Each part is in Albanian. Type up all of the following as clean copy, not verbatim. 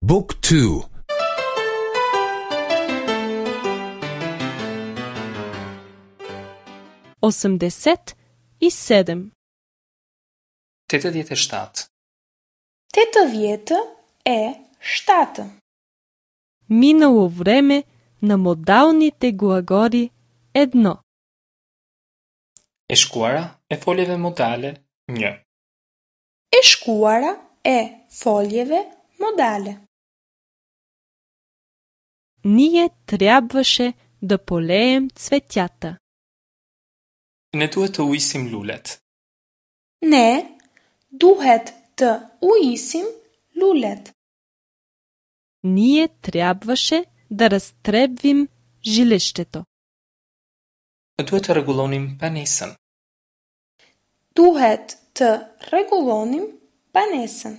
Book 2 87. 87. 87. Минало време на модалните глаголи едно. E shkuara e foljeve modale 1. E shkuara e foljeve modale. Ние трябваше да полеем цветята. Ne duhet të ujisim lulet. Ne duhet të ujisim lulet. Ние трябваше да разтребвим жилището. Duhet të rregullonim banesën. Duhet të rregullonim banesën.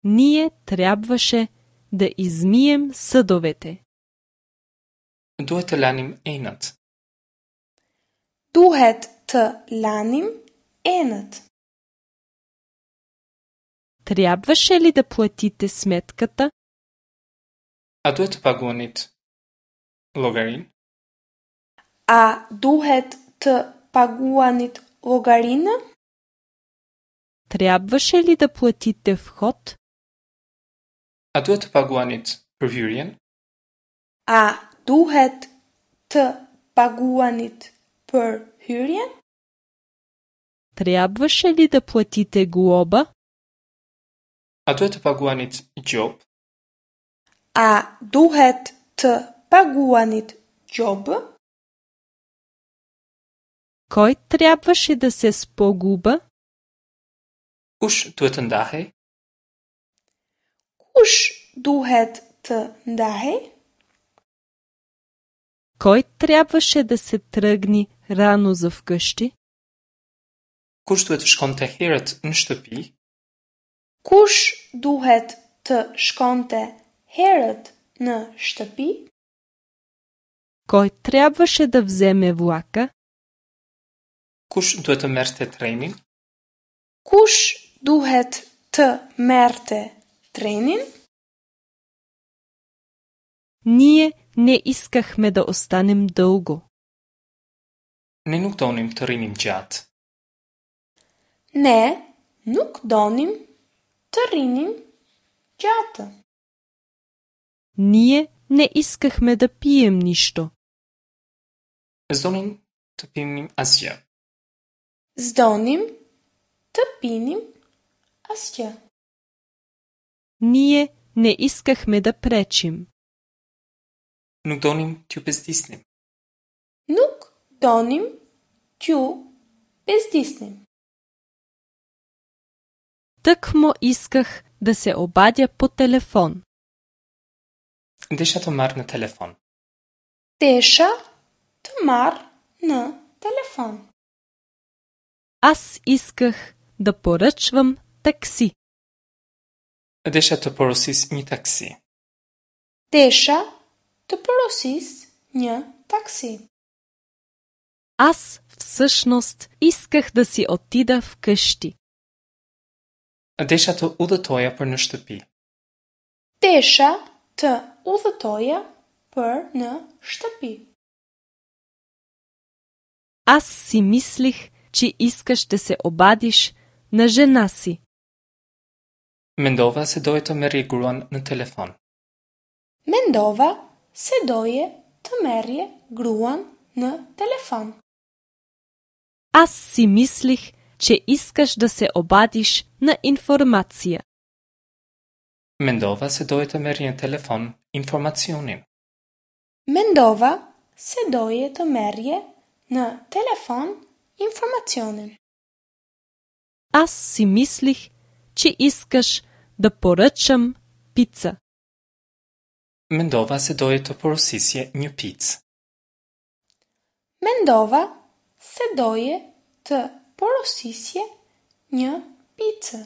Ние трябваше да измием съдовете. Duhet të lanim enët. Duhet të lanim enët. Трябваше ли да платите сметката? A duhet të paguanit llogarinë? A duhet të paguanit llogarinë? Трябваше ли да платите вход? A duhet të paguanit për hyrjen? A duhet të paguanit për hyrjen? Трябваше ли да платите глоба? A duhet të paguanit gjobë? A duhet të paguanit gjobë? Кой трябваше да се спогуба? Kush duhet të ndahej? Kush duhet të ndahej? Кой трябваше да се тръгни рано за вкъщи? Kush duhet të shkonte herët në shtëpi? Kush duhet të shkonte herët në shtëpi? Кой трябваше да вземе влака? Kush duhet të merrte trenin? Kush duhet të merrte trenin? Ние не искахме да останем дълго. Ne nuk donim të rrinim gjatë. Ne nuk donim të rrinim gjatë. Ние не искахме да пием нищо. S'donim të pinim asgjë. S'donim të pinim asgjë. Ние не искахме да пречим. Nuk donim t'ju bezdisnim. Nuk donim t'ju bezdisnim. Тъкмо исках да се обадя по телефон. Desha të marr në telefon. Desha të marr në telefon. Аз исках да поръчвам такси. Desha të porosis një taksi. Desha të porosis një taksi. Аз всъщност исках да си отида вкъщи. Desha të udhëtoja për në shtëpi. Desha të udhëtoja për në shtëpi. Аз си мислих, че искаш да се обадиш на жена си. Mendova se doje të merrje gruan në telefon. Mendova se doje të merrje gruan në telefon. Аз си мислих, че искаш да се обадиш на информация. Mendova se doje të merrje në telefon informacionin. Mendova se doje të merrje në telefon informacionin. Аз си мислих, че искаш да поръчам пица. Mendova se doje të porosisje një picë. Mendova se doje të porosisje një picë.